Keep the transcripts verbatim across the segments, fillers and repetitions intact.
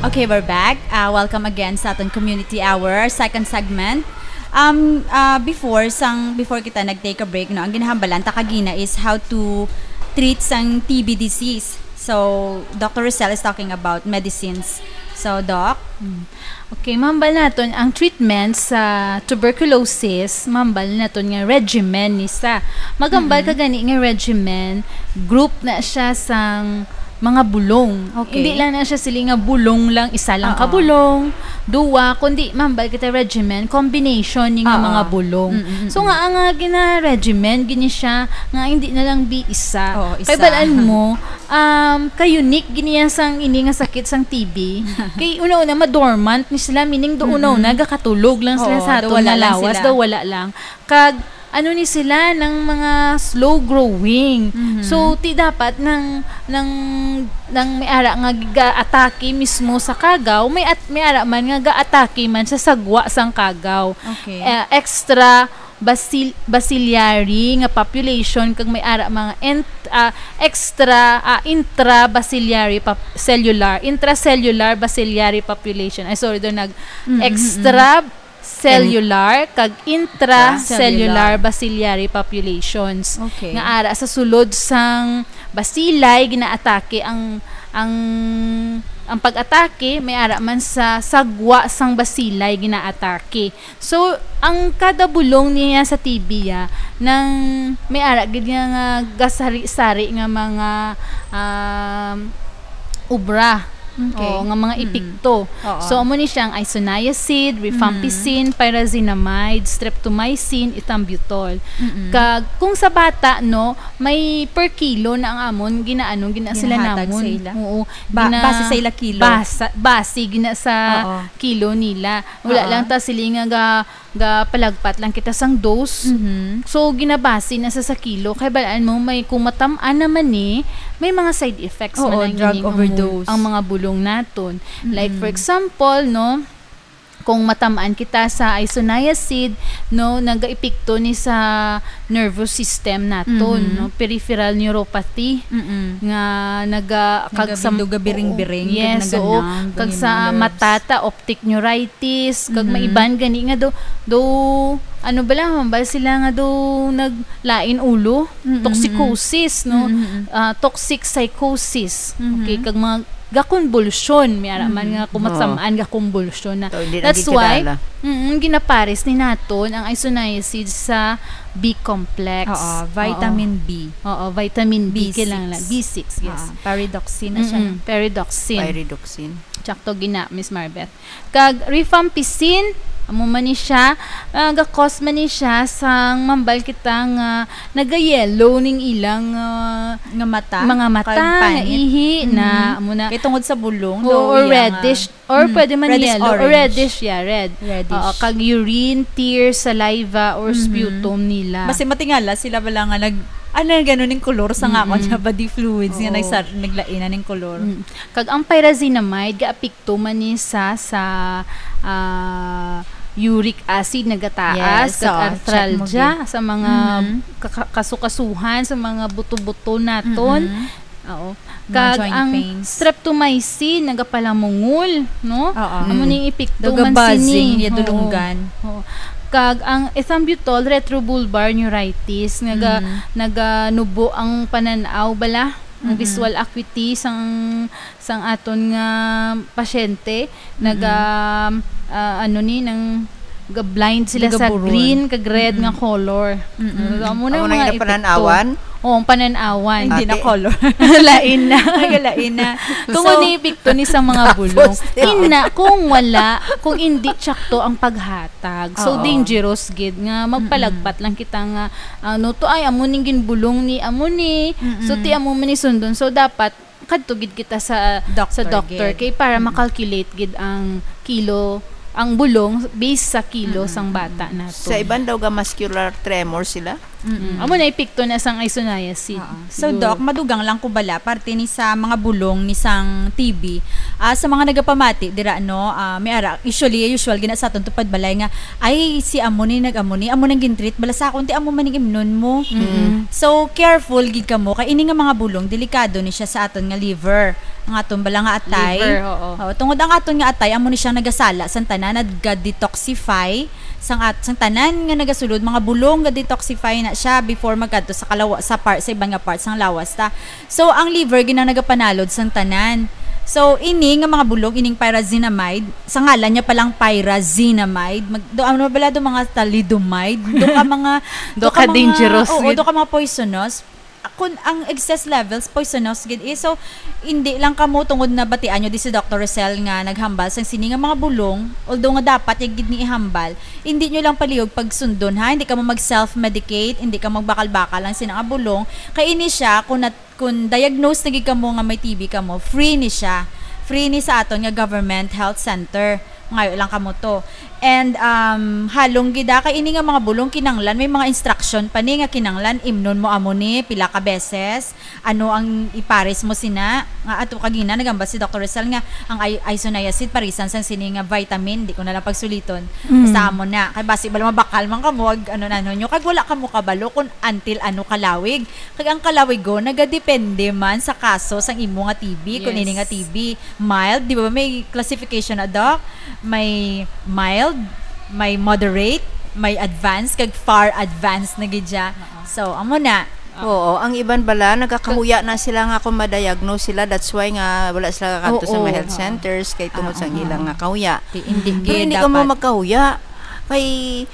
Okay, we're back. Uh, welcome again sa aton community hour, second segment. Um, uh, before sang before kita nag-take a break, no, ang ginahambalan ta kagina is how to treat sang T B disease. So, Doctor Rosel is talking about medicines. So, Doc? Okay, mahambal naton ang treatment sa tuberculosis, mahambal naton nga regimen ni sa. Magambal Mm-mm. ka gani nga regimen, group na siya sang mga bulong. Okay. Hindi lang na siya sili nga bulong lang, isa lang ka Oo. bulong, duwa, kundi mahambal kita regimen, combination ni nga Oo. mga bulong. Mm-mm-mm. So nga ang nga gina-regimen, gini siya nga hindi na lang bi isa. Oo, isa. Kay balaan mo, um, ka-unique gini yan sang ini nga sakit sang T B. Kay una-una, madormant ni sila, meaning do Mm-mm. una-una, gakatulog lang sila Oo, sa daw aton wala nga lang lawas, sila. Daw wala lang. Kag, ano ni sila, nang mga slow growing. Mhm. So, ti dapat nang, nang, nang may ara nga ga-atake mismo sa kagaw, may at, may ara man nga ga-atake man sa sagwa sang kagaw. Okay. Eh, extra basil-, bacillary nga population kag may ara mga ent-, ah, extra, ah, intrabacillary pop-, cellular, intracellular bacillary population. Ay, sorry, doon nag Mm, mm, extra cellular kag intracellular Intracellular. Bacillary populations. Okay. Nga ara sa sulod sang bacilli ginaatake ang, ang, ang pag-atake may ara man sa sagwa sang bacilli ginaatake. So, ang kada bulong niya sa T B, ah, nang may ara gid nga, nga gasari-sari nga mga, um, obra. Okay. Oo, nga mga Mm. epekto. Oo. So, amo ni siya ang isoniazid, rifampicin, Mm. pyrazinamide, streptomycin, ethambutol. Mm-mm. Kag kung sa bata, no, may per kilo na ang amon ginaano, gina sila Ginahatag namon. sa ila? Oo. Ba-, base sa ila kilo? Basa, base gina sa Oo. kilo nila. Wala Oo. lang ta sila nga ga, ga palagpat lang kita sang dose. Mhm. So, ginabase na sa, sa kilo. Kay balaan mo, may kung matamaan naman ni, may mga side effects Oo, man ang drug ining ang, overdose. ang mga bulong naton. Like, for Mm-mm. example, no, kung matamaan kita sa isoniazid, no, nagaepekto ni sa nervous system naton, Mhm. no, peripheral neuropathy, Mm-mm. nga naga-, kag sa, Nagabido-gabiring-biring, oo, yes, kag oo, naganang, kag yung sa mga nerves. Mata ta, optic neuritis, kag may Mhm. iban gani nga do, do, ano bala, man ba sila nga do naglain ulo? Mm-mm. Toxicosis, no? Mm-mm. Ah, toxic psychosis. Mhm. Okay, kag mga gakonbulsyon, may ara man Mhm. nga kung Oo. matamaan gakonbulsyon na. So, hindi na That's gid why, kilala. Mm, ginapares ni naton ang isoniazid sa B complex. Oo, vitamin B. Oo, vitamin B, B six. Kailangan lang. B six, yes. Ah, pyridoxine na siya, Mm-mm, no? pyridoxine. Pyridoxine. Tsakto gina, Miss Marbeth. Kag rifampicin, amo man ni siya, ah, ga-cause man ni siya sang mambal kita nga naga-yellow ning ilang, ah, Nga mata. mga mata, Kag nga panit. ihi, na, Mhm. amo na. Kay tungod sa bulong, Oo, daw or iya nga reddish. Or Mm. pwede man Reddish yellow, or orange. Reddish, yeah, red. Reddish. Oo, kag urine, tear, saliva, or Mhm. sputum nila. Basi matingala sila bala nga nag, ano, ganun yung kolor sa nga Mm-mm. akon sa body fluids nga Oo. nagsar-, naglain na ning kolor. Mm. Kag ang pyrazinamide, gaapekto man ni sa, sa, ah, uric acid nagataas, Yes, kag oo, check mo arthralgia, gid. sa mga Mhm. kaka-, kasukasuhan, sa mga buto-buto naton. Mhm. Oo. Mga Kag joint ang pains. Streptomycin nagapalamungol, no? Oo. Amo ning epekto Daw man gabazing, sini. iya Oo. dulunggan. Oo. Kag ang ethambutol retrobulbar neuritis, naga, Mhm. naganubo ang panan-aw bala, ang Mhm. visual acuity sang, sang aton nga pasyente, naga, ah, ano ni, nang ga-blind sila sa Nagaburon. Green kag red Mm-mm. nga color. Mm-mm. So, amo na Amo ang na mga yung epekto. pananawan? Oo, ang pananawan. Hindi na Ate. Color. Lain na. Nagalain na. Tungod So, ni epekto ni sa mga bulong. Tapos, yeah. Ina, kung wala, kung hindi tsakto ang paghatag. So, Oo. dangerous gid nga magpalagpat lang kita nga, ano to, ay, amo ning ginbulong ni, amo ni. So, Mm-mm. ti amo man ni sundon. So, dapat kadto gid kita sa Doctor sa doctor gid. Kay para ma-calculate gid ang kilo, ang bulong based sa kilo Mm-mm. sang bata nato. Sa iban daw ga muscular tremor sila. Mm-mm. Amo na epekto na sang isoniazid. Oo. So, Siguro. Doc, madugang lang ko bala, parte ni sa mga bulong ni sang T B, ah, sa mga nagapamati, dira, no, ah, may ara, usually, usual, gina sa aton tupad balay nga, ay, si amo ni, nag-amo ni, amo nang gintreat, bala sa akon, ti amo man ning imnon mo. Mm-mm. So, careful gid kamo, kay ini nga mga bulong, delikado ni siya sa aton nga liver. Ang aton bala nga atay. Liver, oo. Oo, tungod ang aton nga atay, amo ni siyang nagasala sang tanan, nag-detoxify sang at-, sang tanan nga nagasulod, mga bulong, ga-detoxify na siya before magkadto sa kalawa-, sa par-, sa iban nga parts sang lawas ta. So, ang liver ginang nagapanalod sang tanan. So, ini nga mga bulong, ining pyrazinamide, sa ngalan niya palang pyrazinamide, mag-, do, ano bala, do mga thalidomide, do ka mga, Do ka mga, dangerous oo, gid. Do ka mga poisonous. Kun ang excess levels, poisonous gid eh. So, hindi lang kamo tungod na batian nyo di si Doctor Rosel nga naghambal sang sini nga mga bulong, although nga dapat ya gid ni ihambal, hindi nyo lang palihog pagsundon, ha? Hindi kamo mag-self-medicate, hindi ka magbakal-bakal lang sina nga bulong. Kay ini siya, kung nat-, kung diagnose na gid kamo nga may T B kamo, free ni siya. Free ni sa aton nga government health center. Ngayo lang kamo to. And, um, halong gid, ah, kay ini nga mga bulong kinanglan, may mga instruction pa ni nga kinanglan, imnon mo amo ni pila ka beses, ano ang ipares mo sina, nga ato kagina nagambal si Doctor Rizal nga ang i-, isoniazid parisan sang sini nga vitamin, di ko na lang pagsuliton. Mm. Basta amo na. Kay basi bala mabakal man kamo, ag-, ano na, ano nyo, kag wala kamo kabalo kung until ano kalawig. Kag ang kalawigon nagadepende man sa kaso sang imo nga T B, kung Yes. ini nga T B mild, di ba may classification na, Doc? May mild, may moderate, may advanced, kag far advanced na gid siya. Oo. So, amo na. Oo, ang iban bala nagakahuya na sila nga kung ma-diagnose sila, that's why nga wala sila kakadto sa Oo. mga health Oo. centers kay tungod Ah, sa ah. ilang nga kahuya. Ti-, hindi Pero gid hindi ka mo dapat. magkahuya. Kay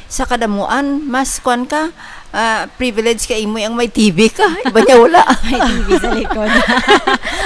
sa kadamuan, mas kwan ka, ah, privilege ka imo ang may T B ka. Iba niya wala. May T B sa likod.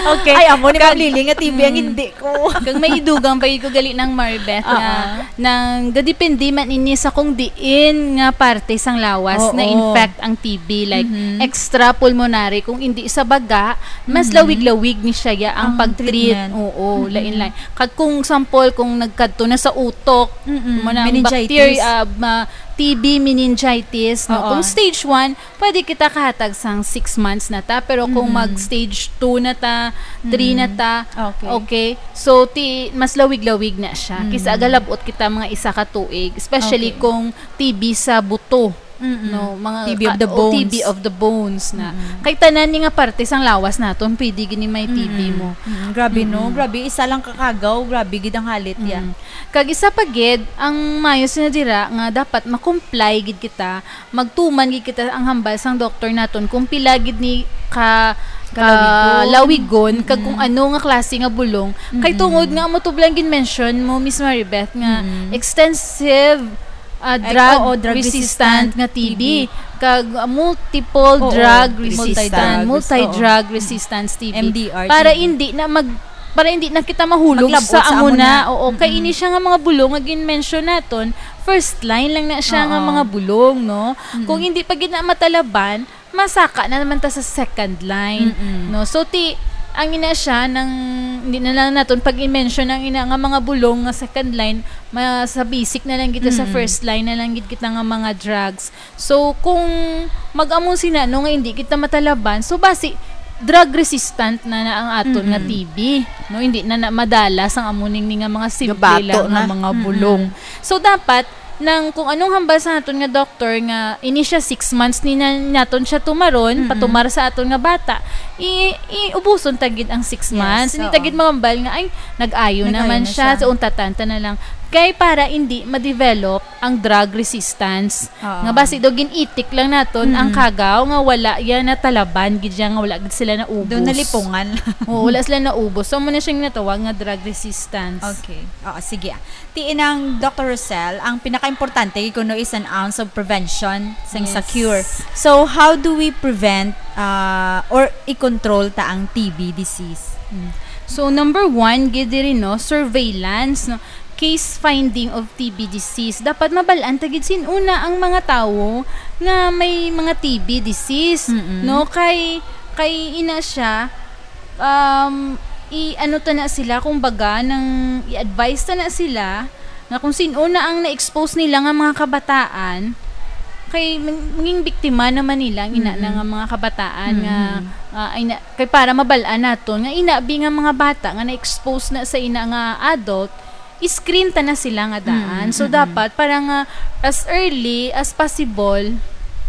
Okay. Ay, amo ni Kag- Ma'am Lily nga T B ang Mm. hindi ko. Kag may idugang pa gid ko gali nang Maribeth nga Oo. nang gadepende man ini sa kung diin nga parte sang lawas Oo. na-infect ang T B, like Mhm. extrapulmonary, kung hindi sa baga, mas Mhm. lawig-lawig ni siya ya ang Ang pag-treat. treatment. Oo, Mhm. lain-lain. Kag kung sample, kung nagkadto na sa utok, Mm-mm. mo na ang Meningitis. bacteria, ah, ma-, T B meningitis, no? Oo. Kung stage one, pwede kita kahatag sang six months na ta, pero kung Mm-mm. mag stage two na ta, three na Mm. ta, Okay. okay, so ti-, mas lawig-lawig na siya. Kisa Mm. galabot kita mga isa ka tuig, especially Okay. kung T B sa buto, Mm-mm. no? Mga T B of ka-, the o T B bones. of the bones na. Mm-mm. Kay tanan ni nga parte sang lawas naton, pwede gini may T B Mm-mm. mo. Mm-mm. Grabe, no? Mm-mm. Grabe, isa lang ka kagaw, grabe gid ang halit ya. Mm. Kag isa pa gid, ang mayo sina dira nga dapat ma-comply gid kita, magtuman gid kita ang hambal sang doktor naton kung pila gid ni ka, Kalawigon. kalawigon, kag kung Mm-mm. ano nga klase nga bulong. Kay Mm-mm. tungod nga amo to bala ang gin-mention mo, Miss Maribeth, nga Mm-mm. extensive, ah, Ay, drug oo, drug resistant resistant nga T B, T B. kag, ah, multiple Oo, drug multi-drug, resistant, oo. multi-drug resistance T B. M D R Para T B. hindi na mag-, para hindi na kita mahulog Maglabot sa sa amo amo na. na. Oo, kay Mm-mm. ini siya nga mga bulong nga gin-mention naton, first line lang na siya nga Oo. mga bulong, no? Mm-mm. Kung hindi pa gid na matalaban, masaka na naman ta sa second line, Mm-mm. no? So, ti, ang ina siya, nang, hindi na lang naton pag-i-mention ang ina nga mga bulong nga second line, ma-, sa basic na lang kita, sa Mm-mm. first line na lang gid kita nga mga drugs. So, kung mag-amo sina, no, nga hindi kita matalaban, so, basi, drug resistant na, na ang aton nga Mm-mm. T B, no? Hindi na, na madala sang amo ning, ning nga mga simple Gabato lang nga na. mga Mm-mm. bulong. So, dapat, nang kung anong hambal sa naton nga doktor nga ini siya six months ni na, naton siya tumaron, Mm-mm. patumar sa aton nga bata, i-, i-ubuson ta gid ang six Yes, months. Hindi ta oo. gid mahambal nga, "Ay, nag-ayo Nag-ayo naman na siya, siya. so untatan ta na lang." Kay para hindi ma-develop ang drug resistance. Oo. Nga basi daw gin-itik lang naton ang Mm-mm. kagaw nga wala yan natalaban gid siya, nga wala gid sila naubos. Doon nalipungan. Oo, wala sila naubos. So, amo na siyang natawag nga drug resistance. Okay. Oo, sige. Ti inang Doctor Rosel, ang pinakaimportante kuno is an ounce of prevention sang sa Yes. cure. So, how do we prevent, uh, or i-control ta ang T B disease? Mm. So, number one, gid diri, no, surveillance, no, case finding of T B disease. Dapat mabal-an ta gid sin-o na ang mga tawo nga may mga T B disease, Mm-mm. no? Kay, kay ina siya, um, i-ano ta na sila, kumbaga, nang i-advise ta na sila nga kung sin-o na ang na-expose nila nga mga kabataan, kay mang-, manging biktima naman nila ang ina na Mm-mm. nga mga kabataan nga, Mm-mm. ah, ay na, kay para mabal-an naton nga ina bi nga mga bata nga na-expose na sa ina nga adult, i-screen ta na sila nga daan. Mm-mm, So, mm-mm. dapat para nga as early as possible,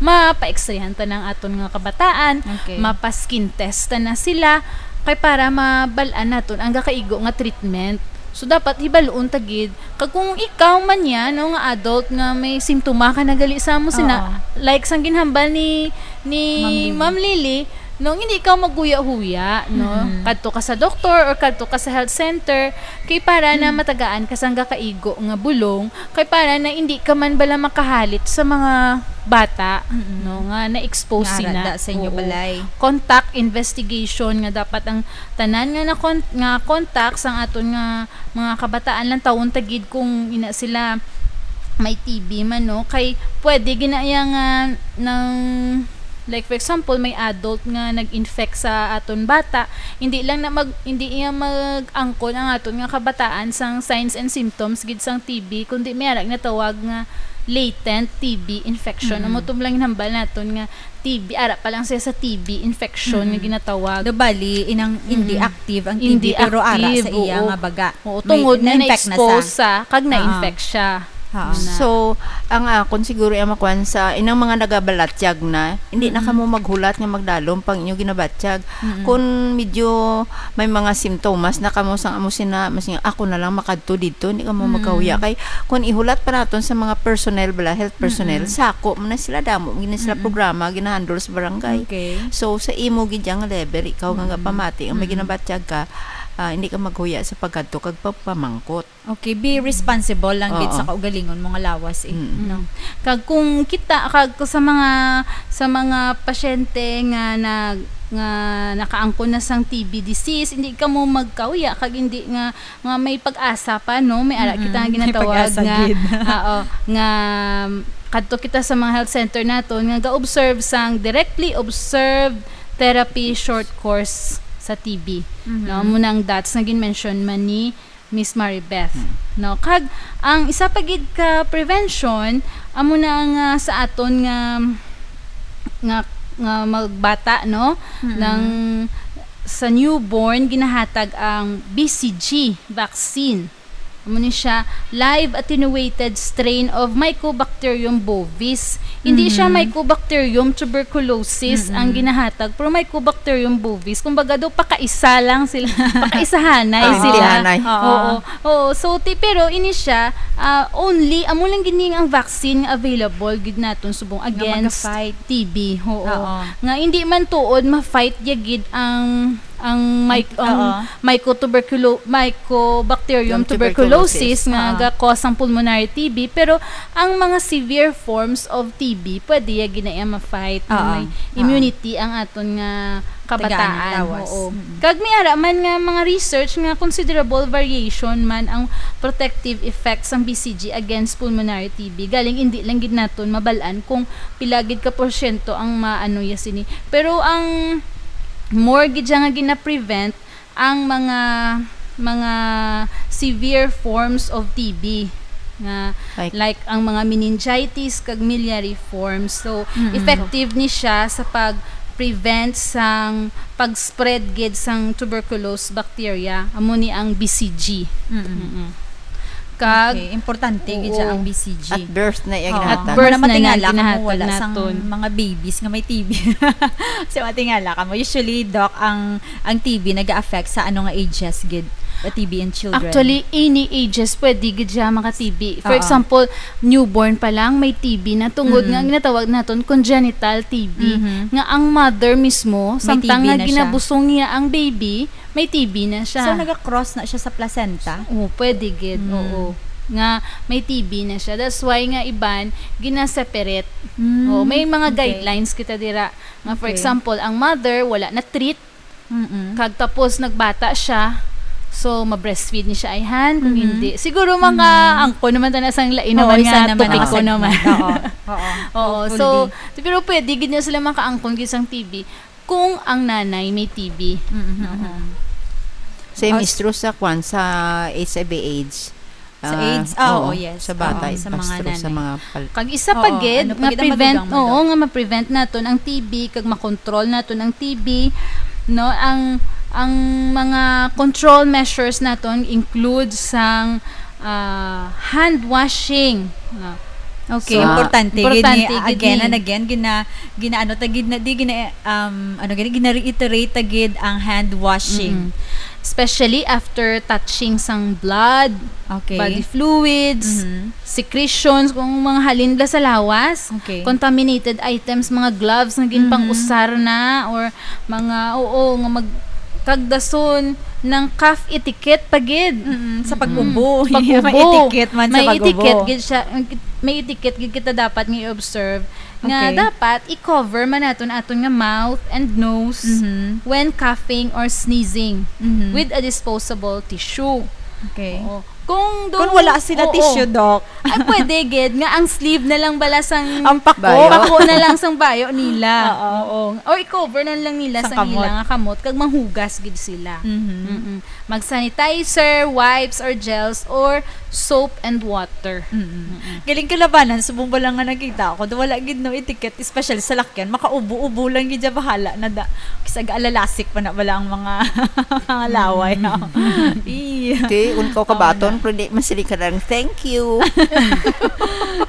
mapa-X-rayhan ta na ang aton nga kabataan, Okay. mapa-skin test ta na sila, kay para mabal-an naton ang gakaigo nga treatment. So, dapat hibaluon ta gid. Kag kung ikaw man yan, no, nga adult nga may simptoma ka na gali sa amo sina, Oo. like sang ginhambal ni, ni Ma'am Lily. Ma'am Lily, no, hindi ikaw maghuya-huya, no? Mm-mm. Kadto ka sa doktor or kadto ka sa health center, kay para na Mm. matagaan ka sang gakaigo nga bulong, kay para na hindi ka man bala makahalit sa mga bata, Mm-mm. no, nga na-expose Nga sina. arada sa inyo Oo. balay. Contact investigation nga dapat ang tanan nga na kon-, nga contact sang aton nga mga kabataan lang tawon ta gid kung ina sila may T B man, no? Kay pwede ginaya nga nang, like, for example, may adult nga nag-infect sa aton bata, hindi lang na mag-, hindi niya mag-angkon ang aton nga kabataan sang signs and symptoms gid sang T B, kundi may ara ginatawag nga latent T B infection. Mm-mm. Amo to lang ginhambal naton nga T B, ara pa lang siya sa T B infection nga Mm-mm. ginatawag. Do bali, inang hindi Mm. active ang T B, Hindi pero ara sa active, iya oo. nga baga. Oo, May tungod nga na-infect na na-expose sa. sa, kag Ah. na-infect siya. Ah. Yun na. So, ang akon siguro ang makuan sa inang mga nagabalatyag na, hindi na Mm-mm. kamo maghulat nga magdalom pang inyo ginabatyag. Mm-mm. Kung medyo may mga simptomas na kamo sang amo sina, mas nga, "Ako na lang makadto didto, hindi kamo Mm. magkahuya." Kay kung ihulat pa naton sa mga personnel bala, health personnel, Mm-mm. sako man na sila, damo man na sila Mm-mm. programa ginahandle sa barangay. Okay. So, sa imo gid yang level, ikaw nga Mm-mm. pamati, ang may Mm-mm. ginabatyag ka, ah, hindi ka maghuya sa pagkadto kag pagpamangkot. Okay, be responsible lang gid Oo. sa kaugalingon mo nga lawas, eh, Mm. no? Kag kung kita, kag sa mga, sa mga pasyente nga nag-, nga nakaangkon na sang T B disease, hindi kamo magkahuya, kag hindi nga, nga may pag-asa pa, no? May ara kita nga Mm-mm. May ginatawag pag-asa nga, gid. oo, nga kadto kita sa mga health center naton nga ga-observe sang directly observed therapy short course sa T B, Mm-hmm. no? Amo na ang dots nga gin-mention man ni Miss Maribeth, Hmm. no? Kag ang isa pa gid ka prevention, amo na nga sa aton nga, nga, nga magbata, no? Mm-mm. Nang sa newborn, ginahatag ang B C G vaccine. Amo ni siya, live attenuated strain of Mycobacterium bovis. Hindi siya Mm-hmm. Mycobacterium tuberculosis ang Mm-mm. ginahatag, pero Mycobacterium bovis, kumbaga daw pakaisa lang sila, pakaisahanay Ah, sila. Pakaisahanay. Oo. Oo. Oo. So, ti-, pero ini siya, ah, only, amo lang gini ang vaccine nga available gid naton subong Nga against mag-fight. T B. Oo. Oo. Nga hindi man tuod ma-fight ya gid ang, ang mic-, ang Oo. mycotuberculo-, Mycobacterium Yung tuberculosis. tuberculosis nga Oo. ga-cause ang pulmonary T B, pero ang mga severe forms of T B, pwede ya gid na iya ma-fight, nga Oo. may Oo. immunity ang aton nga Tagaan ang kabataan. lawas. Oo. Mm. Kag may ara man nga mga research nga considerable variation man ang protective effects sang B C G against pulmonary T B. Galing indi lang gid naton mabal-an kung pila gid ka porsyento ang maano ya sini. Pero ang more gid siya nga gina-prevent ang mga, mga severe forms of T B nga Like? like ang mga meningitis kag miliary forms. So, Mm-mm. effective ni siya sa pag-prevent sang pag-spread gid sang tuberculous bacteria. Amo ni ang B C G. Mm-mm. Mm-mm. Kag Okay, importante gid siya Oo. ang B C G. At birth na iya Oo. At ginatag. Muna birth na matingala niya kamo wala ginatag sang naton. mga babies nga may T B. Kasi matingala kamo, usually, Doc, ang, ang T B nag-a-affect sa ano nga ages gid? The T B in children. Actually, any ages, pwede gid siya maka-T B. For Oo. example, newborn pa lang, may T B na tungod Mm. nga ginatawag naton congenital T B, Mhm. nga ang mother mismo, May samtang T B nga na siya. ginabusong niya ang baby, may T B na siya. So, naga-cross na siya sa placenta? Oo, pwede gid, Mm. oo. Nga may T B na siya. That's why nga iban, gina-separate. Mm, Oo, may mga okay. guidelines kita dira. Nga, for Okay. example, ang mother, wala na treat. Mm-mm. Kag tapos nagbata siya, so ma-breastfeed ni siya ayhan, kung Mm-hmm. hindi. Siguro mga Mm-hmm. angkon naman ta na sang lain Oo, naman isa nga naman ang topiko naman. segment. Oo, oo. Oo, Hopefully. so, pero pwede gid na sila makaangkon gid sang T B kung ang nanay may T B. Mm-hmm. Oo. Sa As- mistro sa kwan, sa H I V AIDS, Sa Ah, AIDS? Ah, oo, oo, yes. sa bata, Oo, sa mga basta sa nanay. mga pal- Kag isa pa Oo, gid, ano pa nga gid ang prevent, madugang, oo, madam? nga ma-prevent naton ang T B, kag makontrol naton ang T B, no? Ang, ang mga control measures naton include sang, ah, hand washing, no? Okay. So, importante gid ni, importante gid again ni. And again, gina-, ginaano ta gid na, di gina-, um, ano gani, gina-reiterate ta gid ang hand washing. Mm-mm. Especially after touching sang blood, Okay. body fluids, Mhm. secretions, kung mga halin bala sa lawas, Okay. contaminated items, mga gloves nga Mhm. ginpang-usar na, or mga, oo, nga mag-, kag dason ng cough etiquette pa gid. Mm-mm, sa Mm-mm. pag-ubo. Pag-ubo. May etiquette man sa May pag-ubo. etiquette gid siya, may etiquette gid kita dapat nga i-observe nga Okay. dapat i-cover man naton aton nga mouth and nose Mhm. when coughing or sneezing Mhm. with a disposable tissue. Okay. Oo. Kung Kung do-, wala sila oo. tissue, Doc. Ay, pwede gid nga ang sleeve na lang bala sang Ang pako. Bayo. pako na lang sang bayo nila. Oo. Oo. Or i-cover na lang nila Sang sang kamot. ila nga kamot kag manghugas gid sila. Mhm. Mm-mm. Mag-sanitizer, wipes or gels, or soap and water. Mm-mm. Mm-mm. Galing kalabanan, subong bala nga nakita ako, do wala gid no etiquette, especially sa lakyan, makaubo-ubo lang gid siya, bahala na da. Kis-a gaalalasik pa na bala ang mga, mga laway, no? Mm. Ih. Te, un ka Oo kabaton, na. Pero di man sila ka lang, "Thank you."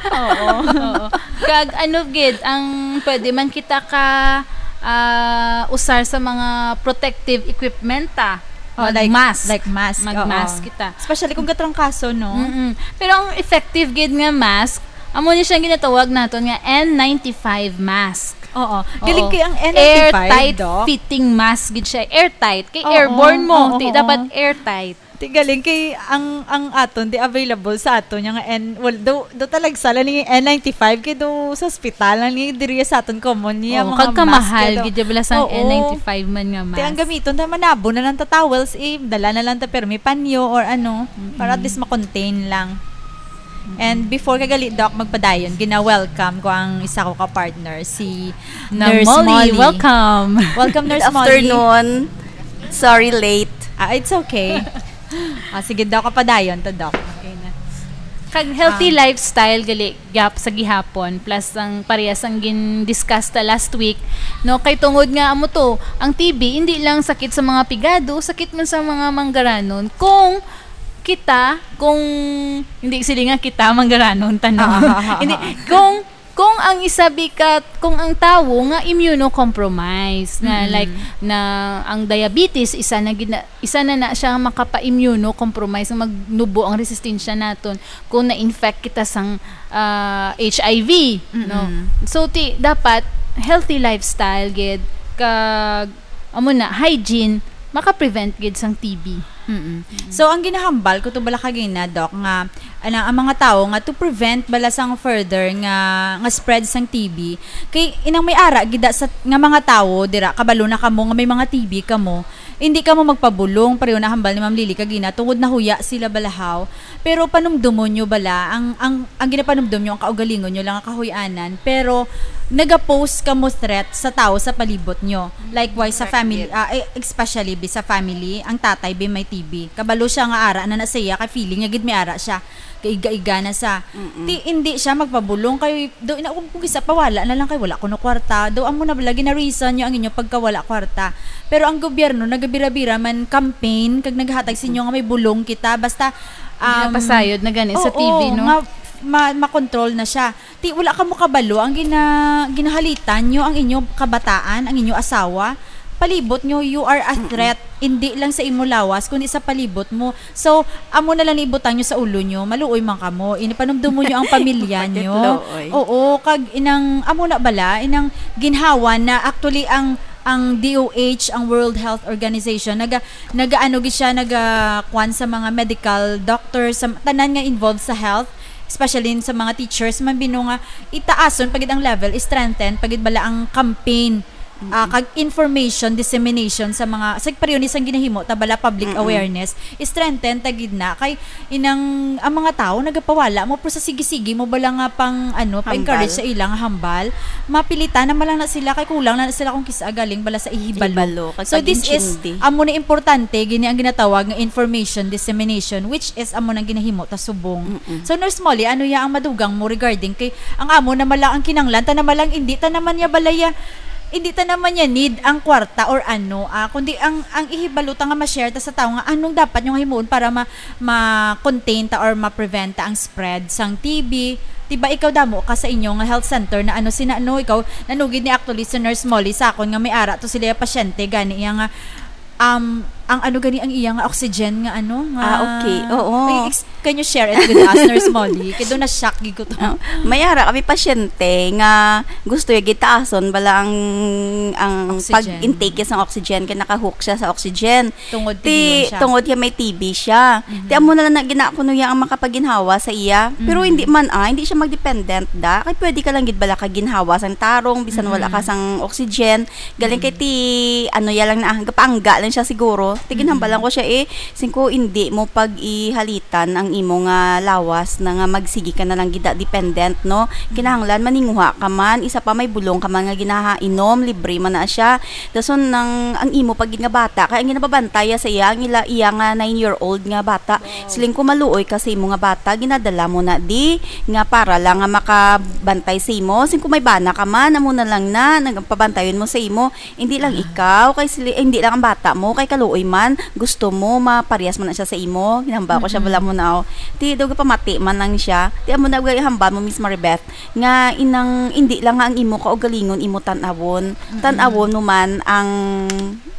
Oo, oo. Kag ano gid, ang pwede man kita ka, ah, usar sa mga protective equipment, ah. Oh, like, Mag-mask. like mask, Mag-mask oo. kita. Especially kung gatrangkaso, no? Mm-mm. Pero ang effective gid nga mask, amo ni siya ginatawag naton nga N ninety-five mask. Oo. Oo. Galing kay ang N ninety-five, Airtight Doc. fitting mask gid siya. Airtight. Kay Oo, airborne mo. oo, Di oo. dapat airtight. Ti galing kay ang, ang aton di available sa aton nga N, well, do, do talag sala ni N ninety-five kay do sa ospital lang ni diri sa aton common niya, Oo, mga kag mask kamahal kay do. gid bala sa Oo. N ninety-five man nga Ti ang mask. gamiton ta manabo na lang ta towels, eh, dala na lang ta permi panyo or ano, para at Mm-mm. least ma-contain lang. And before ka gali, Doc, magpadayon, gina-welcome ko ang isa ko ka partner, si Nurse Molly, Molly. Welcome. Welcome, Nurse Molly. Good afternoon. Sorry, late. Ah, it's okay. Ah, sige, Doc, kapadayon to, Doc. Okay na. Kag healthy Um, lifestyle, gali, gap sa gihapon, plus ang parehas ang gin-discuss ta last week, no? Kay tungod nga amo to, ang T B, hindi lang sakit sa mga pigado, sakit man sa mga manggaranon. Kung kita, kung, hindi, sila nga kita, manggaranon, tanan. Ah, ah, ah, Hindi, ah, ah. kung, kung ang isa bika-, kung ang tawo nga immunocompromised, na, Mm. like, na ang diabetes, isa na gid na, isa na na siya makapa-immunocompromise, nga magnubo ang resistensya naton kung na-infect kita sang, ah, H I V, no? Mm-mm. So, ti, dapat healthy lifestyle gid, kag, amo na, hygiene, maka-prevent gid sang T B. Mm-mm. Mm. So, ang ginahambal ko to bala kagina, Doc, nga, ana, ang mga tawo nga to prevent bala sang further nga, nga spread sang T B, kay inang may ara gid sa, nga mga tawo dira, kabalo na kamo nga may mga T B kamo, hindi kamo magpabulong, pareho na hambal ni Ma'am Lily kagina, tungod nahuya sila balahaw. Pero panumdomon nyo bala, ang, ang, ang ginapanumdom nyo, ang kaugalingon nyo lang ang kahuy-anan, pero nagapose kamo threat sa tawo sa palibot nyo. Likewise, sa Correct, family, yes. ah, eh, especially bi sa family, ang tatay bi may T B. Kabalo siya nga ara na na siya, kay feeling niya gid may ara siya. Kaiga-iga na sa. Mm-mm. Ti, hindi siya magpabulong kay, do, ina, kung, kung isa pa, wala na lang kay wala kuno kwarta. Do, amo na bala, gina-reason nyo ang inyong pagkawala kwarta. Pero ang gobyerno, nagabira-bira man campaign, kag naghatag sa inyo nga may bulong kita. Basta, um, Ginapasayod na gani sa oo, T V, no? nga ma-, makontrol na siya. Ti, wala kamo kabalo ang gina-, ginahalitan nyo ang inyo kabataan, ang inyo asawa. Palibot nyo, you are a Mm-mm. threat, hindi lang sa imo lawas, kundi sa palibot mo. So, amo na lang ni ibutang nyo sa ulo nyo, maluoy man kamo. Inipanumdumo nyo ang pamilya nyo. Pakitlo, oy. Oo, kag inang, amo na bala, inang ginhawa na actually ang, ang D O H, ang World Health Organization, naga, nagaano gid siya, naga, kwan sa mga medical doctors, sa tanan nga involved sa health, especially sa mga teachers, man bino nga itaason pagid ang level, strengthen pagid bala ang campaign, ah, Mm-mm. kag information dissemination sa mga, sa pareho ni sang ginahimo ta bala public Mm-mm. awareness, strengthen ta gid na kay inang ang mga tawo nagapawala mo, pero sa sige-sige mo bala nga pang, ano, pa-encourage Hambal. sa ilang hambal, mapilitan naman lang na sila kay kulang na, na sila kung kisa galing bala sa ihibalo. Ihibalo, kag So, this is, pag-intindi. amo na importante, gini ang ginatawag nga information dissemination, which is amo nang ginahimo ta subong. Mm-mm. So, Nurse Molly, ano ya ang madugang mo regarding kay ang amo na mala ang kinanglan, ta na malang hindi ta naman ya balaya, hindi ta naman niya need ang kwarta or ano, ah, kundi ang, ang ihibalo ta nga ma-share ta sa tao nga anong dapat yung himuon para ma-, ma-contain ta or ma-prevent ta ang spread sang T B. Diba ikaw damo ka sa inyo nga health center na ano sina, ano, ikaw, nanugid ni actually si Nurse Molly sa akon nga may ara to sila pasyente gani iya nga, um, ang ano gani ang iya nga oxygen nga ano, nga Ah, okay. Oo. Ay, ex-, can you share it with us, Nurse Molly? Kay doon na-shock gid ko to. Oh, may ara kami pasyente nga gusto ya gitaason bala ang, ang Oxygen. pag-intake sa oxygen kay naka-hook siya sa oxygen. Tungod Ti, T B siya. tungod ya may T B siya. Mhm. Ti amo na lang na gina-, kuno ya ang makapaginhawa sa iya. Pero Mhm. hindi man, ah, hindi siya mag-dependent da. Kay pwede ka lang gid bala ka ginhawa sang tarong bisan wala ka Mhm. sang oxygen. Galing kay Mm. ti, ano, ya lang na, gapaangga lang siya siguro. Ti ginhambal lang Mm. ko siya, eh, singko, hindi mo pag-ihalitan ang imo nga lawas na nga magsigi ka na lang gid dependent, no? Mm. Kinahanglan maninguha ka man, isa pa may bulong ka man nga ginahainom, libre man na siya. Dason nang, ang imo pa gid nga bata, kay ang ginapabantay sa iya, ang ila, iya nga nine-year-old nga bata, Wow. Siling ko, maluoy ka sa imo nga bata, ginadala mo na di, nga para lang nga makabantay sa imo. Siling ko, may bana ka man, amo na lang na, nagpabantayon mo sa imo. Hindi lang Ah. ikaw, kay sili-, hindi lang ang bata mo, kay kaluoy man, gusto mo, maparehas man na siya sa imo. Ginhambal ko siya, Mm-mm. bala mo na, oh. Ti, daw pamati man lang siya. Ti, amo na, gay hambal mo, Miss Maribeth, nga inang, hindi lang nga ang imo kaugalingon, imo tan-awon. Mm-mm. Tan-awon mo man ang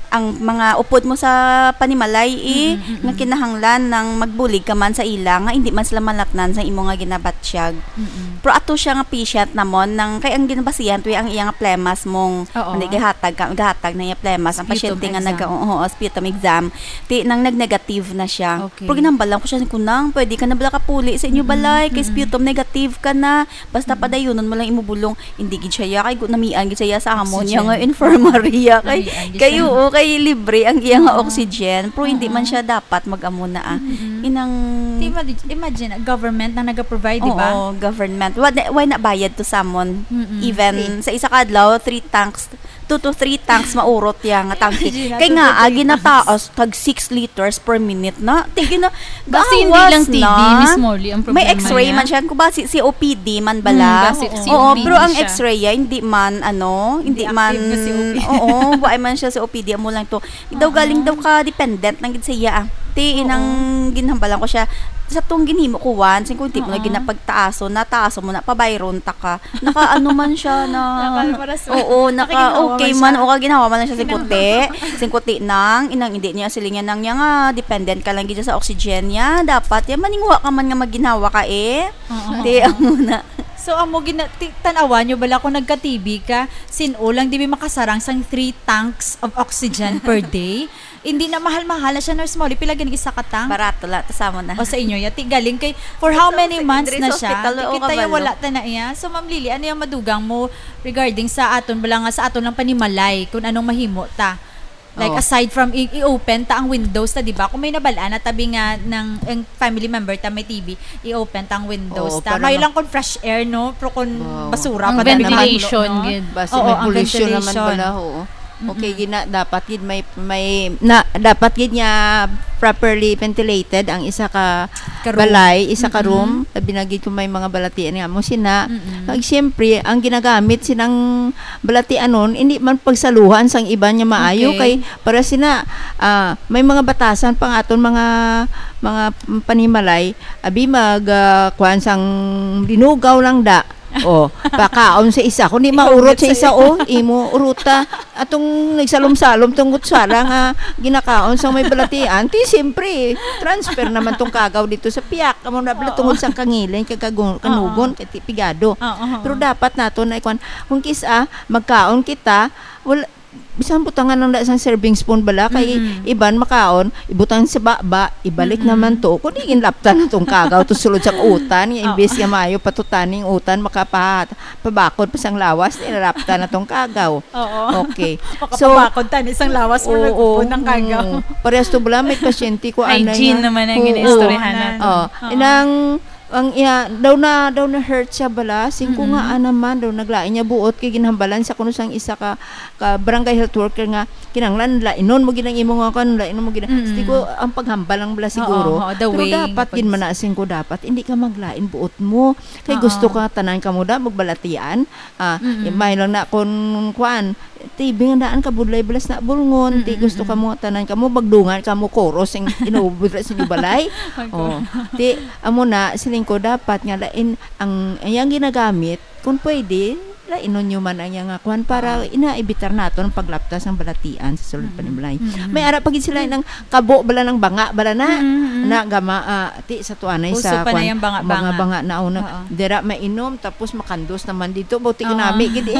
ang mga upod mo sa panimalay, eh, Mm, mm, nga mm. kinahanglan nang magbulig ka man sa ila, nga hindi man sila malatnan sa imo nga ginabatyag. Mm, mm. Pero ato siya nga patient namon, nang, kay ang ginabasihan to ang iya nga plemas mong, Oo. hindi, gahatag ka, gahatag na iya plemas, ang Sputum pasyente nga exam. naga-, oo, oo, sputum exam, ti, nang nag-negative na siya. Okay. Pero ginambalan ko siya, kunang, pwede ka na bala kapuli sa inyo Mm, balay, kay mm. sputum negative ka na, Basta Mm. padayunon mo lang imo bulong, hindi gid siya ya, kay gu-, namian gid siya ya sa amon Oxygen. niya nga infirmary ya. Kay, Namian gid kay siya. oo, kay libre ang iya nga Oo. oxygen, pero hindi man Oo. siya dapat mag-amo na, ah. Mm-mm. Inang Di, imagine, imagine, government na nag-provide, di ba? Oo, government. Why na, why na bayad to someone? Mm-mm. Even Free. sa isa ka adlaw, three tanks, two to three tanks maurot ya nga tangke. Imagine, Kay two nga, to ah, three ginataas tanks. tag six liters per minute na. Ti gina-, Basi hindi gawas lang T B, na. Miss Molly, ang May problema X-ray niya. man siya. Kung ba, si, C O P D man bala? Hmm, basi Oo. Oo, C O P D pero ang siya. X-ray, ah, hindi man, ano, Hindi hindi man, active na C O P D. oo, buhay man siya C O P D, amo lang to. Daw Oo. galing daw ka dependent lang gid sa iya, ah. Ti, Oo. inang ginhambalan ko siya. Sa tong ginhimo ko, one, sing kung di mo na Oo. ginapagtaaso, nataaso mo na, pabayron ta ka. Naka-ano man siya na, Naka-, para sa, oo, naka-, nakaginhawa okay man man, siya. o kaginhawa man lang siya, sing Ginhawa. kuti. Sing kuti nang, inang hindi niya, siling niya nang niya nga, dependent ka lang gid sa oxygen niya. Dapat, yan, maninguha ka man nga magginhawa ka, eh. Oo. Di, amo na. So, amo gina-, ti-, tan-awan nyo bala kung nagka-T B ka, sin-o lang, di ba makasarang sang three tanks of oxygen per day? Hindi na mahal-mahal na siya, Nurse Molly. Pila gani isa ka tank? Barato lang, ta sa amo na. O sa inyo, yati galing kay, for how Sa many hos-, months diri na sa siya? ospital, Di oo, kita yung kabalo. wala ta na iya. So, Ma'am Lily, ano yung madugang mo regarding sa aton, bala nga sa aton lang panimalay, kung anong mahimo ta? Like, Oh. aside from i-, i-open ta ang windows ta, di ba? Kung may nabalaan na tabi nga ng, ang family member ta may T B, i-open ta ang windows Oo, ta. para May ma- lang kung fresh air, no? Pero kung Wow. basura Ang pa, dami ventilation, naman, no? gid. Basi Oo, may ang pollution naman ventilation. bala, oo. Okay, Mm-mm. gina, dapat gid may, may, na, dapat gid niya properly ventilated ang isa ka Ka room. balay, isa ka Mm-mm. room. Labi na gid kung may mga balatian nga mo sina. Mm-mm. Kag siyempre, ang ginagamit sinang balatianon, hindi man pagsaluhan sang iban nga maayo Okay. kay para sina, ah, may mga batasan pang aton mga, mga panimalay, abi mag, ah, kuwan sang linugaw lang da. Oh, pakaon sa isa. Kundi Ikaw maurot gid sa sa isa, isa. oh, imo uruta. Atong nagsalom-salom tong kutsara nga ginakaon sa may balatian, ti siyempre, transfer naman tong kagaw dito sa piyak. Amo na bala Oo. tungod sa kangilin, kag kagun-, Oo. kanugon, kay ti pigado. Oo, oo. Pero dapat nato na ikuan, kung kis-a, magkaon kita, wala, bisan butangan lang na sang serving spoon bala, kay Mm-mm. iban makaon, ibutang sa baba, ibalik Mm-mm. naman to. Kung di, ginlaptan na tong kagaw, to sulod sang utan, nga Oo. imbes nga maayo patutaning utan, makapahat-, pabakod pa sang lawas, nilalaptan na tong kagaw. Oo. Okay. So, Makapabakod tani sang lawas mo, oo, nagpupon ng kagaw. oo. Parehas to bala, may pasyente ko, anay Hygiene nga. naman ang Oo. ginaistoryahan natin. Oo. Oo. Inang Ang iya, daw na, daw na-hurt siya bala. Singko nga, Mm-mm. ah, naman, daw naglain niya buot kay ginhambalan sa kuno sang isa ka, ka barangay health worker nga kinahanglan lainon mo gid ang imo nga kuan, lainon mo gid ang, Mm-mm. singko ang paghambal lang bala Oo, siguro. Oo, the Pero way dapat gin pag- man na singko dapat, hindi ka maglain buot mo. Kay Oo. gusto ka tanan kamo da magbalatian. Ah, Mm-mm. imay lang na kon kuan, ti binandaan ka budlay balas na bulngon, ti Mm-mm, gusto mm. ka mo tanan ka mo magdungan ka mo koros sing inuubos sa inyo balay. Ay, Oh, ko- ti amo na siling ko dapat nga lain ang iyang ginagamit kung pwede lainon nyo man ang iyang kuan para Ah. inaibitar naton ang paglapta sang balatian sa sulod Mm-mm. panimlay. Mm-mm. May ara pa gid sila Mm. nang kabo bala ng banga bala na Mm-mm, mm-mm. na gama ah, ti sa tuanay Uso sa pa na kuan, yung banga-banga. Banga-banga na una. Oo. Dira mainom tapos makandos naman dito bauti Oo. ginami gid eh.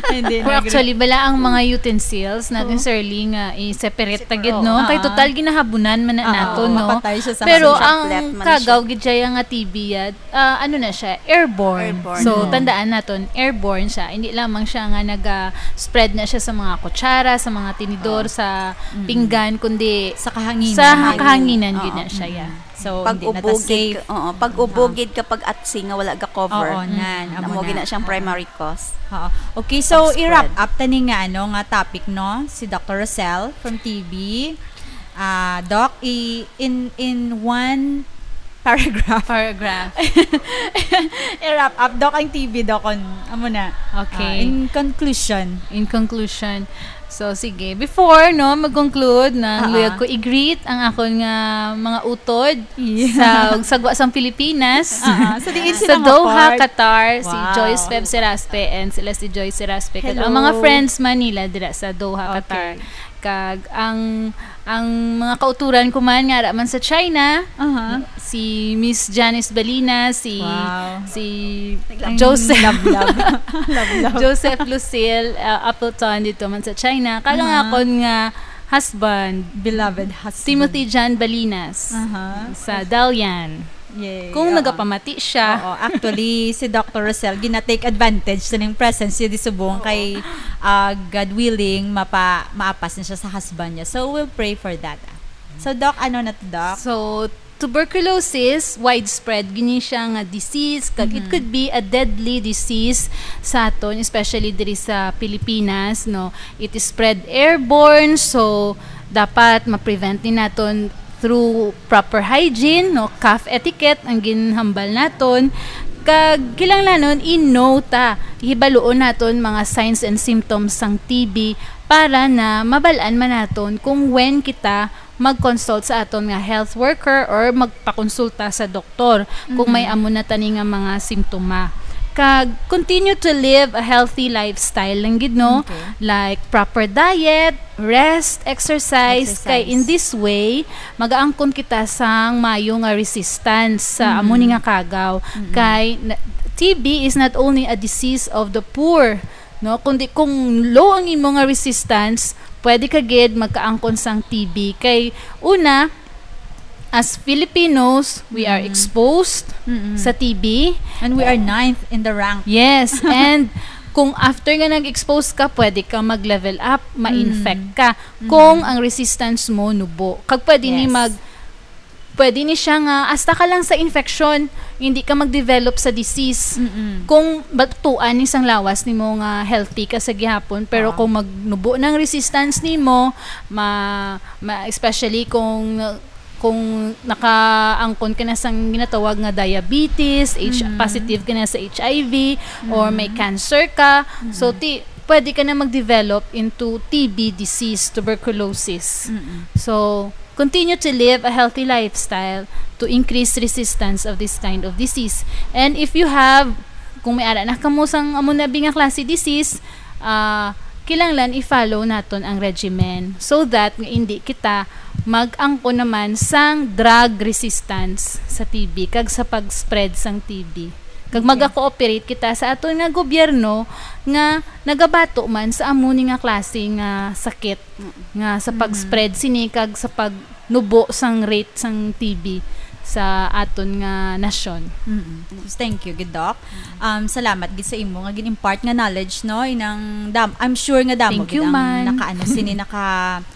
Hindi Pero na, actually, bala ang mga utensils natin, Oo. Sir Lee, nga i-separate ta Separate, gid, oo. no? Kay Oo. total ginahabunan man na Oo, nato, no? mapatay siya sa Pero mga ang chaplet man kagaw siya. Gid siya nga T B, ah, ah, ano na siya, airborne. Airborne. So, Oo. tandaan naton, airborne siya. Hindi lamang siya nga naga-spread na siya sa mga kutsara, sa mga tinidor, Oo. sa Mm. pinggan, kundi Sa kahanginan. sa kahanginan gid Oo. na siya, Mm. yeah. So, Pag hindi na ta ubugid safe. ka, oo, pag Oo. ubugid ka, pag atsi nga wala ga cover. Oo, nan, amo Amo na. gid na siyang Oo. primary cause. Oo. Okay, so Pag-spread. i-wrap up tani nga ano nga topic, no? Si Doctor Rosel from T B. Ah, Doc, i-, in in one paragraph. Paragraph. I-wrap up, Doc, ang T B, Doc, kon amo na. Okay. Ah, in conclusion. In conclusion, So, sige. Before, no, mag-conclude, na Aha. luyag ko i-greet ang akon nga mga utod Yeah. sa, ug sagwa sang Pilipinas. Aha. So, diin Sa sila nga Doha, part? Qatar, si Wow. Joyce Feb Seraspe and sila si Joyce Seraspe. Kag Hello. ang mga friends man nila dira sa Doha, Okay. Qatar. Kag ang, ang mga kauturan ko man nga ara man sa China, Aha. si Miss Janice Balina, si, Wow. si Ang Joseph, love, love. Love, love. Joseph Lucille, uh, Appleton dito man sa China. Kag ang Aha. akon nga husband, Beloved husband. Timothy John Balinas Aha. sa Dalian. Yay, Kung oo. nagapamati siya. Oo, actually, si Doctor Rosel, gina-take advantage sa ning presence niya di subong Oo. kay, ah, God willing, mapa-, maapas na siya sa husband niya. So, we'll pray for that. So, Doc, ano na to, Doc? So, tuberculosis, widespread gini siya nga disease, kag it Mhm. could be a deadly disease sa aton, especially diri sa Pilipinas, no? It is spread airborne, so dapat ma-prevent ni naton through proper hygiene, no? Cough etiquette ang ginhambal naton. Kag kinahanglanon i-know ta, hibaluon naton mga signs and symptoms sang T B para na mabal-an man naton kung when kita mag-consult sa aton nga health worker or magpakonsulta sa doktor kung may Mm. amo na tani nga mga simptoma. Kag continue to live a healthy lifestyle lang gid, no? Okay. Like proper diet, rest, exercise. Kay Exercise. in this way, magaangkon kita sang mayo nga resistance sa Mm. amo ni nga kagaw. Mm. Kay na-, T B is not only a disease of the poor, no? Kundi kung low ang imo nga resistance, pwede ka gid magkaangkon sang T B. Kay una, as Filipinos, we are Mm. exposed Mm-mm. sa T B. And we are ninth in the rank. Yes, and kung after nga nag-expose ka, pwede ka mag-level up, ma-infect Mm. ka. Mm. Kung ang resistance mo nubo. Kag pwede ni Yes. mag-, pwede ni siya nga hasta ka lang sa infection, hindi ka mag-develop sa disease. Mm-mm. Kung batuan ni sang lawas nimo nga healthy ka sa gihapon, pero Oo. kung magnubo ng resistance nimo, ma-, ma-, especially kung, kung nakaangkon ka na sang ginatawag nga diabetes, H-, Mm. positive ka na sa H I V, or may Mm. cancer ka, so Mm. ti-, pwede ka na mag-develop into T B disease, tuberculosis. Mm-mm. So, continue to live a healthy lifestyle to increase resistance of this kind of disease. And if you have, kung may ara na kamo sang amo na bi nga klase disease, ah, kinahanglan i-follow naton ang regimen so that nga hindi kita mag-angkon naman sang drug resistance sa T B kag sa pag-spread sang T B. Kag Okay. maga-cooperate kita sa aton nga gobyerno nga nagabato man sa amo ni nga klase nga sakit Mm. nga sa Mm. pag-spread sini kag sa pagnubo sang rate sang T B sa aton nga nasyon. Mm. Thank you, gid, Doc. Um, salamat gid sa imo nga gin-impart nga knowledge, no? Inang dam-, I'm sure nga damo Thank gid you, ang man. nakaano sini, naka-,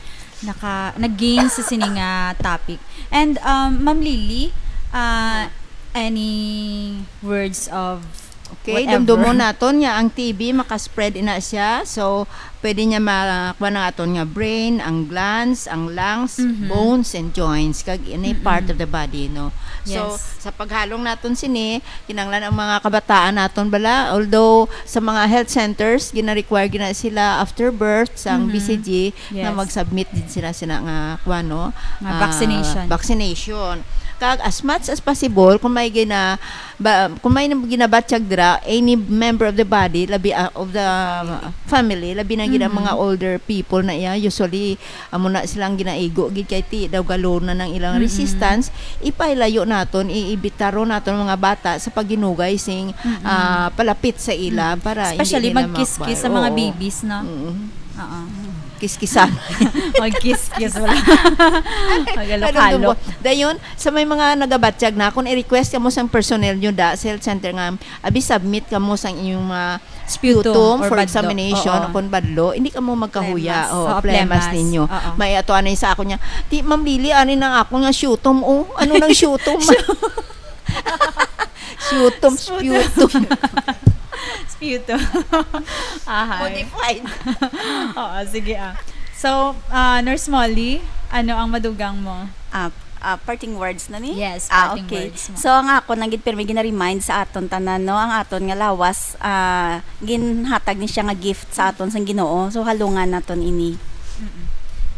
naka-, nag-gain sa sini nga topic. And, um, Ma'am Lily, ah, Any words of Okay, whatever? Dumdumon naton nga ang T B makaspread ina siya. So, pwede niya makuha ang aton nga brain, ang glands, ang lungs, Mhm. bones, and joints, kag any Mm-mm. part of the body, no? So, Yes. sa paghalong naton sini, kinanglan ang mga kabataan naton bala, although sa mga health centers, gina-require gina sila after birth sa Mhm. B C G na Yes. mag-submit din sila sina nga kuha, no? Nga Ah, vaccination. Vaccination. Kag as much as possible, kung may gina ba, kung may nab- ginabatyag dira, any member of the body, labi ah, of the family, labi na gid ang Mhm. mga older people na iya, usually amo na silang ginaigo gid kay ti daw galon na nang ilang Mm-mm. resistance, ipailayo naton, iibitaron naton mga bata sa pagginugay sing Mm-mm. ah, palapit sa ila Mm. para Especially hindi nila magkiskis makuha. sa mga Oo. babies, no? Mm. Oo. Kiskisan. Magkiskis wala. Magalok-halok. Dayon, sa may mga nagabatyag na, kung i-request kamo sang personnel nyo da, sa health center nga, abi submit kamo sang inyong mga Sputum sputum or for badlo. Examination Oo. O kung badlo, hindi kamo magkahuya. Phlegmas. O, Oo, phlegmas phlegmas. Ninyo. Oo. May ato anay sa ako niya, "Ti, Ma'am Lily, ani nang ako nga sputum, oh. Ano nang sputum?" Sputum, Sputum. sputum. Sputum. Ahay. Modified. Oo, sige ah. So, ah, Nurse Molly, ano ang madugang mo? Ah, ah, parting words na ni? Yes, Ah, parting okay. words mo. So, ang ako nang gid pirmi gina-remind sa aton tanan, no, ang aton nga lawas, ah, ginhatag ni siya nga gift sa aton sang Ginoo. So, halungan naton ini. Mm-mm.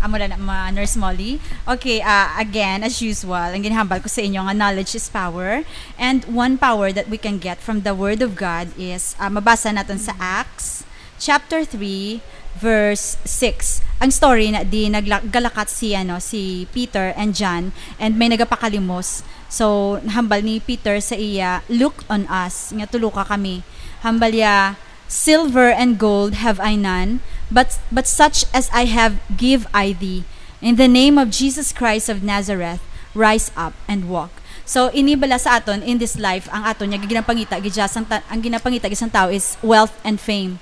Amo na na, mga Nurse Molly. Okay, ah, again, as usual, ang ginhambal ko sa inyo nga knowledge is power. And one power that we can get from the Word of God is, ah, mabasa natin sa Acts chapter three, verse six. Ang story na di nagla- galakat si, ano, si Peter and John, and may nagapakalimos. So, nahambal ni Peter sa iya, "Look on us, nga tuluka kami." Hambal ya, "Silver and gold have I none, but, but such as I have give I thee. In the name of Jesus Christ of Nazareth, rise up and walk." So, ini bala sa aton in this life, ang aton nga ginapangita gid siya sang ta- ang ginapangita gid sang tao is wealth and fame.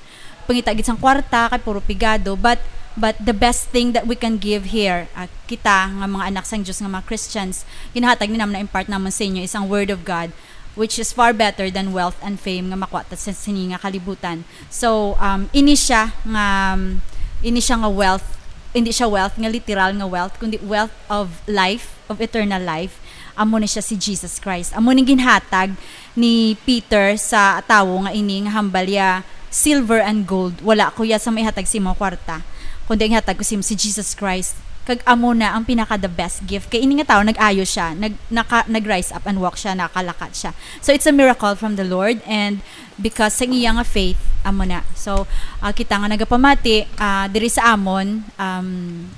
Pangita gid sang kwarta kay puro pigado, but but the best thing that we can give here, ah, kita nga mga anak sang Dios nga mga Christians, ginahatag ni naman na impart naman sa inyo is ang word of God, which is far better than wealth and fame nga makuha ta sa sini nga kalibutan. So, um, ini siya nga um, ini siya nga wealth, hindi siya wealth nga literal nga wealth, kundi wealth of life, of eternal life. Amo ni siya si Jesus Christ. Amo ning ginhatag ni Peter sa tawo nga ini nga hambal ya, "Silver and gold, wala ko ya sa maihatag sa imo kwarta, kundi ang ihatag ko sa imo si Jesus Christ." Kag amo na ang pinaka the best gift. Kay ini nga tawo nag-ayo siya, nag naka, nag-rise up and walk siya, nakalakat siya. So it's a miracle from the Lord, and because sa iya nga faith, amo na. So, ah, kita nga nagapamati, ah, diri sa amon, um,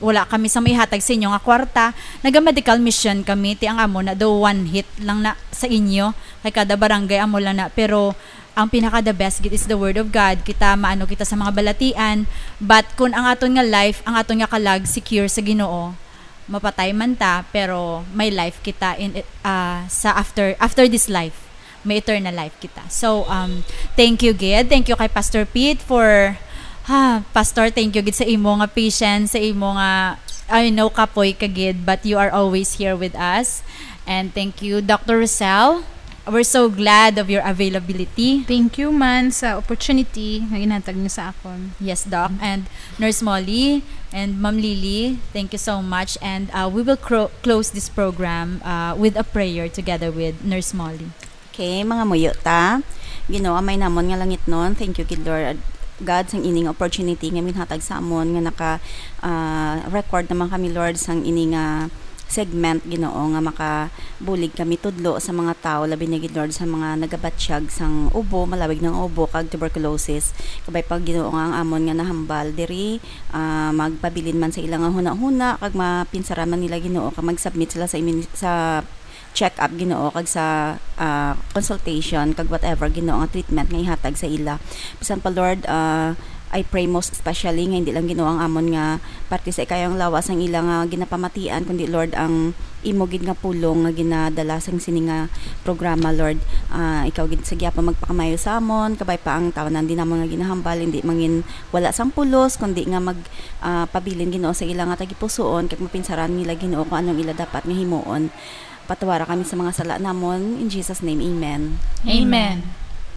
wala kami sa maihatag sa inyo nga kwarta. Naga-medical mission kami, ti ang amo na do one hit lang na sa inyo. Kay kada barangay amo lang na. Pero ang pinaka the best gid is the word of God. Kita maano kita sa mga balatian. But kung ang aton nga life, ang aton nga kalag secure sa Ginoo, mapatay man ta, pero may life kita in, ah, sa after after this life. May eternal life kita. So, um, thank you gid. Thank you kay Pastor Pete for, ha, Pastor, thank you gid sa imo nga patience, sa imo nga, I know, kapoy ka gid, but you are always here with us. And thank you, Doctor Rosel. We're so glad of your availability. Thank you man sa opportunity nga ginhatag niyo sa akon. Yes, Doc. And Nurse Molly and Ma'am Lily, thank you so much. And, uh, we will cro- close this program, uh, with a prayer together with Nurse Molly. Okay, mga muyo ta. Ginoo, Amay namon nga langitnon, thank you gid, Lord God, sang ining opportunity nga minhatag sa amon nga naka, ah, record naman kami, Lord, sang ini nga segment, Ginoo, nga makabulig kami tudlo sa mga tawo, labi na gid, Lord, sa mga nagabatyag sang ubo, malawig nga ubo, kag tuberculosis. Kabay pa, Ginoo, nga ang amon nga nahambal diri, ah, magpabilin man sa ila nga hunahuna, kag mapinsaran man nila, Ginoo, kag mag-submit sila sa imin-, sa check-up, Ginoo, kag sa, ah, consultation, kag whatever, Ginoo, nga treatment nga ihatag sa ila. Bisan pa, Lord, ah, I pray most especially nga hindi lang, Ginoo, ang amon nga parte sa ikayang lawas ang ila nga ginapamatian, kundi, Lord, ang imo gid nga pulong nga ginadala sang sini nga programa, Lord. Ah, ikaw gid sa gihapon magpakamayo sa amon, kabay pa ang tawanan din namon nga ginahambal, hindi mangin wala sang pulos, kundi nga mag, ah, pabilin, Ginoo, sa ila nga tagipusoon, kag mapinsaran nila, Ginoo, kung anong ila dapat nga himuon. Patawara kami sa mga sala namon. In Jesus' name, amen. Amen.